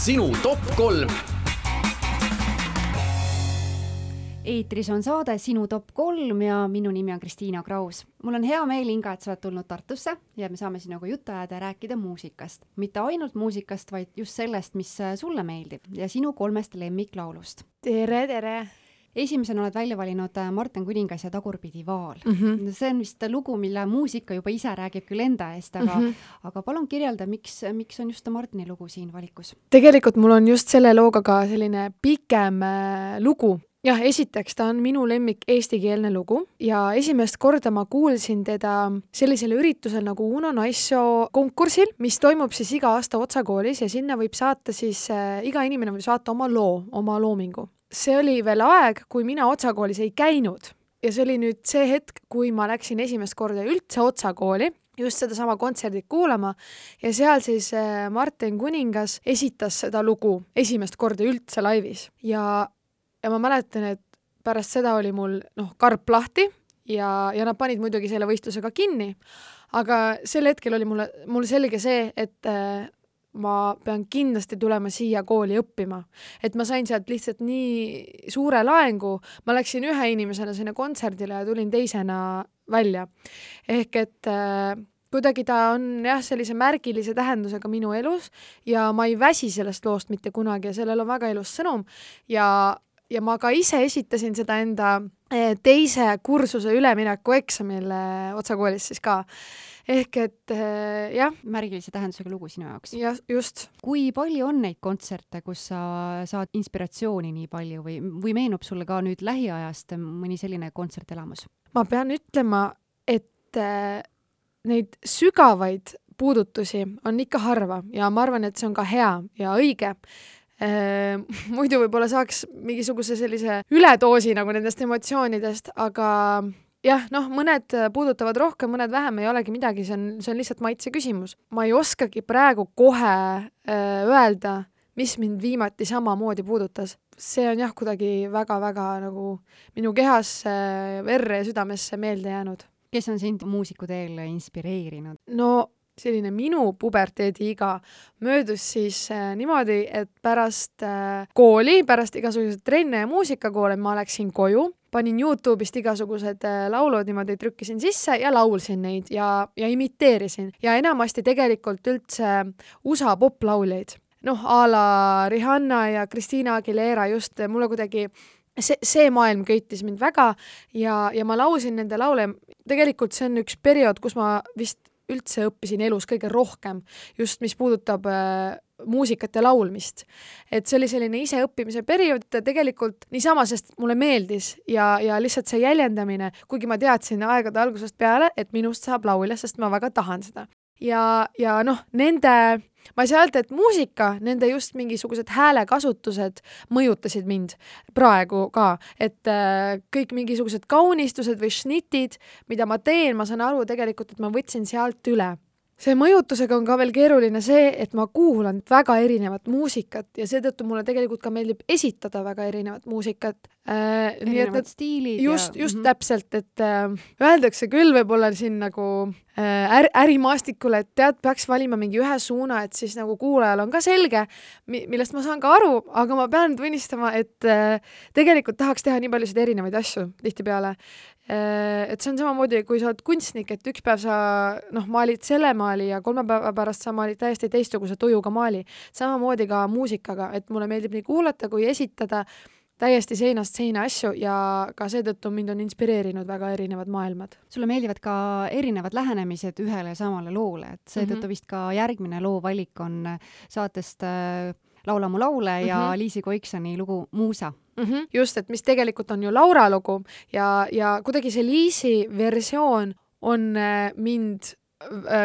Sinu top 3. Eetris on saade Sinu top 3 ja minu nimi on Kristiina Kraus. Mul on hea meel, Inga, et sa oled tulnud Tartusse ja me saame sinuga juttu ajada ja rääkida muusikast. Mitte ainult muusikast, vaid just sellest, mis sulle meeldib ja sinu 3 lemmiklaulust. Tere, tere! Esimesena oled välja valinud Marten Kuningas ja Tagurpidi vaal. See on vist lugu, mille muusika juba ise räägib küll enda eest, aga palun kirjelda, miks on just Martini lugu siin valikus? Tegelikult mul on just selle looga ka selline pikem lugu. Jah, esiteks ta on minu lemmik eestikeelne lugu ja esimest korda ma kuulsin teda sellisel üritusel nagu Uno Naissoo konkursil, mis toimub siis iga aasta Otsakoolis ja sinna võib saata siis, iga inimene võib saata oma loo, oma loomingu. See oli veel aeg, kui mina Otsakoolis ei käinud ja see oli nüüd see hetk, kui ma läksin esimest korda üldse Otsakooli just seda sama kontserdit kuulama ja seal siis Marten Kuningas esitas seda lugu esimest korda üldse laivis ja ma mäletan, et pärast seda oli mul karp lahti ja nad panid muidugi selle võistlusega kinni, aga sel hetkel oli mul selge see, et ma pean kindlasti tulema siia kooli õppima. Et ma sain sealt lihtsalt nii suure laengu, ma läksin ühe inimesena sinna kontserdile ja tulin teisena välja. Ehk et kuidagi ta on jah sellise märgilise tähendusega minu elus ja ma ei väsi sellest loost mitte kunagi ja sellel on väga ilus sõnum ja ma ka ise esitasin seda enda teise kursuse ülemineku eksamil Otsakoolis siis ka. Ehk et jah. Märgilise tähendusega lugu sinu jaoks. Ja, just. Kui palju on neid kontserte, kus sa saad inspiratsiooni nii palju või meenub sulle ka nüüd lähiajast mõni selline kontsertelamus? Ma pean ütlema, et neid sügavaid puudutusi on ikka harva ja ma arvan, et see on ka hea ja õige. Muidu võib-olla saaks mingisuguse sellise üledoosi nagu nendest emotsioonidest, aga jah, mõned puudutavad rohkem, mõned vähem ei olegi midagi, see on lihtsalt maitse küsimus. Ma ei oskagi praegu kohe öelda, mis mind viimati samamoodi puudutas. See on jah kuidagi väga-väga nagu minu kehas verre ja südamesse meelde jäänud. Kes on sind muusiku teel inspireerinud? No selline minu puberteediiga möödus siis niimoodi, et pärast kooli, pärast igasuguseid trenne ja muusikakoole ma läksin koju, panin YouTube'ist igasugused laulud, niimoodi trükkisin sisse ja laulsin neid ja imiteerisin. Ja enamasti tegelikult üldse USA poplauljaid. A la Rihanna ja Christina Aguilera just mulle kuidagi see maailm köitis mind väga ja ma laulsin nende laule. Tegelikult see on üks periood, kus ma vist üldse õppisin elus kõige rohkem, just mis puudutab muusikat ja laulmist. Et see oli selline iseõppimise periood tegelikult niisama, sest mulle meeldis ja lihtsalt see jäljendamine, kuigi ma teadsin aegade algusest peale, et minust saab laulja, sest ma väga tahan seda. Ja nende, ma ei saa öelda, et muusika, nende just mingisugused häälekasutused mõjutasid mind praegu ka, et kõik mingisugused kaunistused või šnitid, mida ma teen, ma saan aru tegelikult, et ma võtsin sealt üle. See mõjutusega on ka veel keeruline see, et ma kuulan väga erinevat muusikat ja seetõttu mulle tegelikult ka meeldib esitada väga erinevat muusikat. Erinevad stiilid. Just täpselt, et öeldakse küll võib-olla siin nagu ärimaastikule, et peaks valima mingi ühe suuna, et siis nagu kuulajal on ka selge, millest ma saan ka aru, aga ma pean tunnistama, et tegelikult tahaks teha nii paljusid erinevaid asju tihtipeale. Et see on samamoodi, kui sa oled kunstnik, et üks päev sa maalid selle maali ja 3 päeva pärast sa maalid täiesti teistsuguse tujuga maali. Samamoodi ka muusikaga, et mulle meeldib nii kuulata kui esitada täiesti seinast seina asju ja ka seetõttu mind on inspireerinud väga erinevad maailmad. Sulle meeldivad ka erinevad lähenemised ühele ja samale loole, et seetõttu vist ka järgmine loo valik on saatest Laula mu laule ja Liisi Koiksani lugu Muusa. Just, et mis tegelikult on ju Laura lugu ja kuidagi see Liisi versioon on mind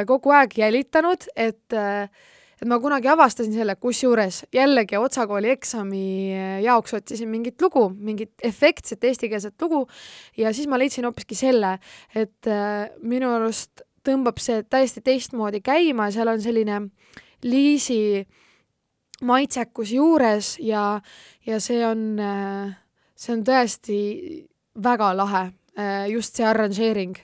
kogu aeg jälitanud, et ma kunagi avastasin selle, kusjuures jällegi Otsakooli eksami jaoks otsisin mingit lugu, mingit efektset eestikeelset lugu ja siis ma leidsin hoopiski selle, et minu arust tõmbab see täiesti teistmoodi käima, seal on selline Liisi maitsekus juures ja see on tõesti väga lahe. just see arranžeering,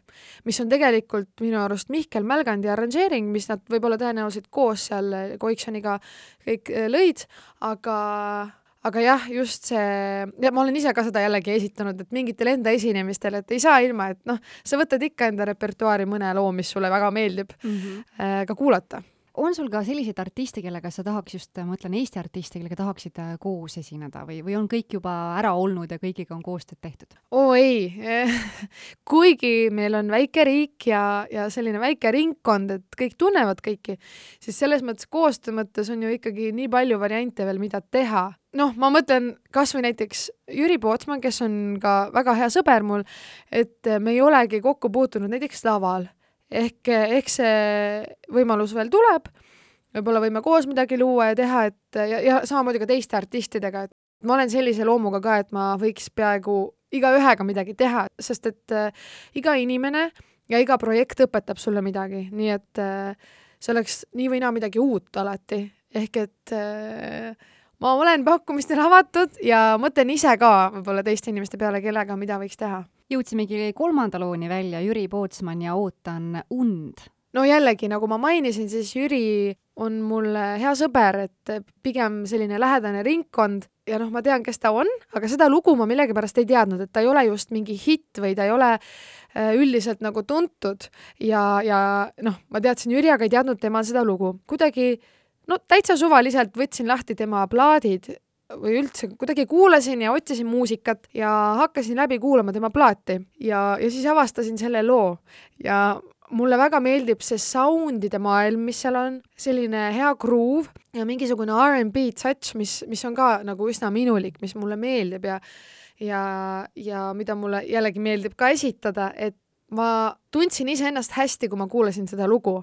mis on tegelikult minu arust Mihkel Mälgandi arranžeering, mis nad võib-olla tõenäoliselt koos seal Koiksoniga kõik lõid, aga jah, just see, ja ma olen ise ka seda jällegi esitanud, et mingitel enda esinemistel, et ei saa ilma, et noh, sa võtad ikka enda repertuaari mõne loo, mis sulle väga meeldib ka kuulata. On sul ka selliseid artiste, kellega sa tahaks just, ma mõtlen Eesti artiste, kellega tahaksid koos esineda või on kõik juba ära olnud ja kõigiga on koostööd tehtud? Ei, kuigi meil on väike riik ja selline väike ringkond, et kõik tunnevad kõiki, siis selles mõttes koostöö mõttes on ju ikkagi nii palju variante veel, mida teha. Noh, ma mõtlen kas või näiteks Jüri Pootsman, kes on ka väga hea sõber mul, et me ei olegi kokku puutunud näiteks laval. Ehk see võimalus veel tuleb, võib-olla võime koos midagi luua ja teha, ja samamoodi ka teiste artistidega, et ma olen sellise loomuga ka, et ma võiks peaaegu iga ühega midagi teha, sest et iga inimene ja iga projekt õpetab sulle midagi, nii et see oleks nii või naa midagi uut alati, ehk et ma olen pakkumistel avatud ja mõtlen ise ka võib-olla teiste inimeste peale, kellega mida võiks teha. Jõudsimegi 3. looni välja, Jüri Pootsman ja Ootan und. No jällegi, nagu ma mainisin, siis Jüri on mul hea sõber, et pigem selline lähedane ringkond ja noh, ma tean, kes ta on, aga seda lugu ma millegipärast ei teadnud, et ta ei ole just mingi hitt või ta ei ole üldiselt nagu tuntud ja noh, ma teadsin Jüri, aga ei teadnud tema seda lugu. Kuidagi, no täitsa suvaliselt võtsin lahti tema plaadid või üldse kuidagi kuulasin ja otsisin muusikat ja hakkasin läbi kuulama tema plaati ja siis avastasin selle loo ja mulle väga meeldib see soundide maailm, mis seal on, selline hea groove ja mingisugune R&B touch, mis on ka nagu üsna minulik, mis mulle meeldib ja mida mulle jällegi meeldib ka esitada, et ma tundsin iseennast hästi, kui ma kuulasin seda lugu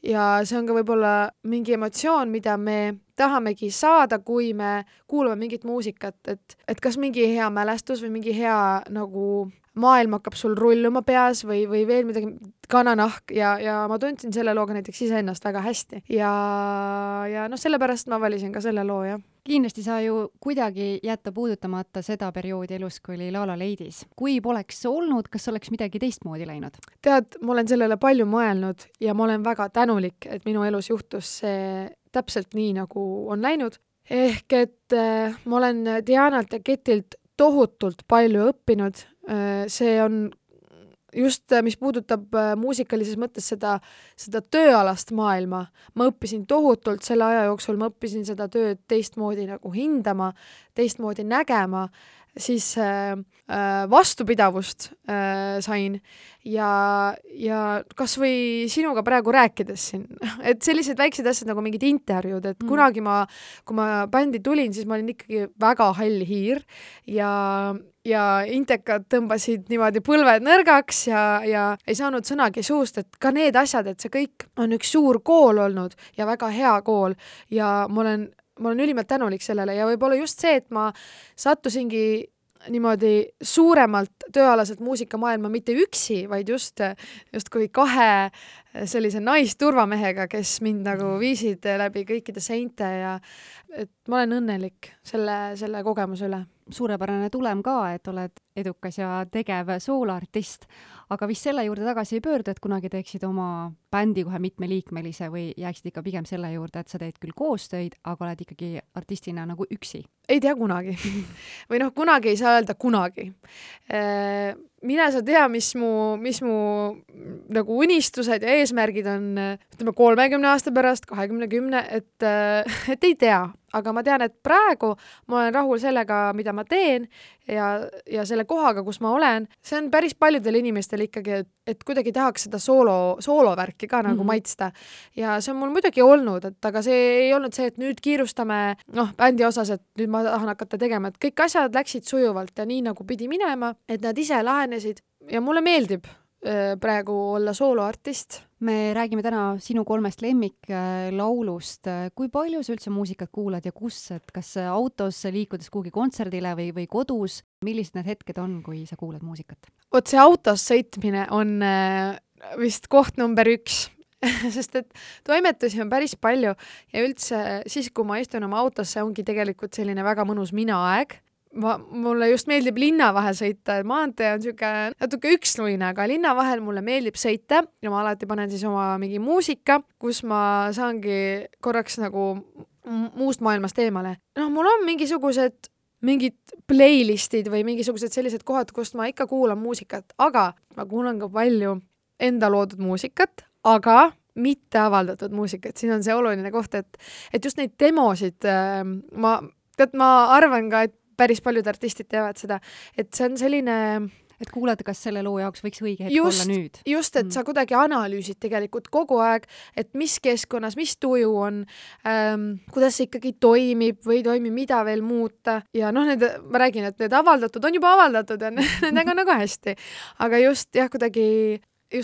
ja see on ka võib-olla mingi emotsioon, mida me tahamegi saada, kui me kuulame mingit muusikat, et kas mingi hea mälestus või mingi hea nagu maailm hakkab sul rulluma peas või veel midagi, kananahk ja ma tundsin selle looga näiteks iseennast väga hästi ja noh, sellepärast ma valisin ka selle loo, jah. Kindlasti sa ju kuidagi jätta puudutamata seda perioodi elus, kui oli La La Landis. Kui poleks olnud, kas oleks midagi teistmoodi läinud? Tead, ma olen sellele palju mõelnud ja ma olen väga tänulik, et minu elus juhtus see täpselt nii, nagu on läinud. Ehk et ma olen Dianalt ja Ketilt tohutult palju õppinud. See on just, mis puudutab muusikalises mõttes seda tööalast maailma. Ma õppisin tohutult selle aja jooksul, ma õppisin seda tööd teistmoodi nagu hindama, teistmoodi nägema, siis vastupidavust sain ja kas või sinuga praegu rääkides siin, et sellised väiksed asjad nagu mingid intervjuud, et kunagi kui ma bändi tulin, siis ma olin ikkagi väga hall hiir ja intekad tõmbasid niimoodi põlved nõrgaks ja ei saanud sõnagi suust, et ka need asjad, et see kõik on üks suur kool olnud ja väga hea kool ja ma olen ülimalt tänulik sellele ja võib-olla just see, et ma sattusingi niimoodi suuremalt tööalaselt muusikamaailma mitte üksi, vaid just kui kahe sellise naisturvamehega, kes mind nagu viisid läbi kõikide seinte ja et ma olen õnnelik selle kogemuse üle. Suurepärane tulem ka, et oled edukas ja tegev sooloartist, aga vist selle juurde tagasi ei pöördu, et kunagi teeksid oma bändi kohe mitmeliikmelise või jääksid ikka pigem selle juurde, et sa teed küll koostöid, aga oled ikkagi artistina nagu üksi? Ei tea kunagi. Või noh, kunagi ei saa öelda kunagi. Mine sa tea, mis mu nagu unistused ja eesmärgid on, ütleme 30 aasta pärast, 20, et ei tea. Aga ma tean, et praegu ma olen rahul sellega, mida ma teen ja selle kohaga, kus ma olen. See on päris paljudel inimestel ikkagi, et kuidagi tahaks seda soolovärki ka nagu maitsta. Ja see on mul muidugi olnud, aga see ei olnud see, et nüüd kiirustame bändi osas, et nüüd ma tahan hakata tegema, et kõik asjad läksid sujuvalt ja nii nagu pidi minema, et nad ise lahenesid ja mulle meeldib praegu olla sooloartist. Me räägime täna sinu 3 lemmiklaulust. Kui palju sa üldse muusikat kuulad ja kus, et kas autos liikudes kuhugi kontserdile või kodus? Millised need hetked on, kui sa kuulad muusikat? Vot see autos sõitmine on vist koht number 1. Sest et toimetusi on päris palju ja üldse siis, kui ma istun oma autosse, ongi tegelikult selline väga mõnus mina-aeg. mulle just meeldib linna vahel sõita, et maantee on siuke natuke üksluine, aga linna vahel mulle meeldib sõita ja ma alati panen siis oma mingi muusika, kus ma saangi korraks nagu muust maailmast eemale. Mul on mingid playlistid või mingisugused sellised kohad, kust ma ikka kuulan muusikat, aga ma kuulan ka palju enda loodud muusikat, aga mitte avaldatud muusikat. Siin on see oluline koht, et just neid demosid ma arvan ka, et päris paljud artistid teevad seda, et see on selline... Et kuulad, kas selle loo jaoks võiks õige hetk olla nüüd? Just, et sa kuidagi analüüsid tegelikult kogu aeg, et mis keskkonnas, mis tuju on, kuidas see ikkagi toimib või toimib, mida veel muuta. Ja ma räägin, et need avaldatud on juba avaldatud ja nendega nagu hästi. Aga just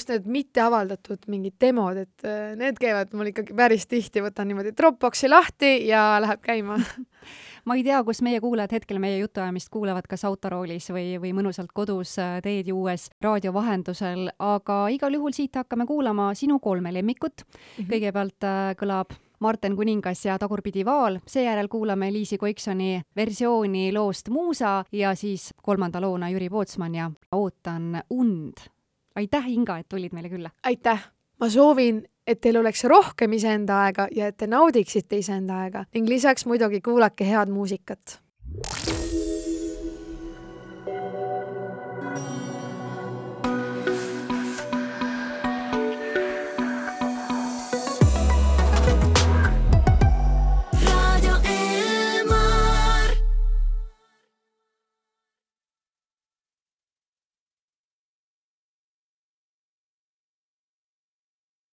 need mitte avaldatud mingid demod, et need käivad mul ikkagi päris tihti, võtan niimoodi Dropboxi lahti ja läheb käima. Ma ei tea, kus meie kuulajad hetkel meie jutuajamist kuulevad, kas autoroolis või mõnusalt kodus teed juues raadio vahendusel, aga igal juhul siit hakkame kuulama sinu 3 lemmikut. Kõigepealt kõlab Marten Kuningas ja Tagurpidi Vaal, seejärel kuulame Liisi Koiksoni versiooni loost Muusa ja siis 3. loona Jüri Pootsman ja Ootan und. Aitäh, Inga, et tulid meile külla. Aitäh! Ma soovin, et teil oleks rohkem iseenda aega ja et te naudiksite iseenda aega ning lisaks muidugi kuulake head muusikat.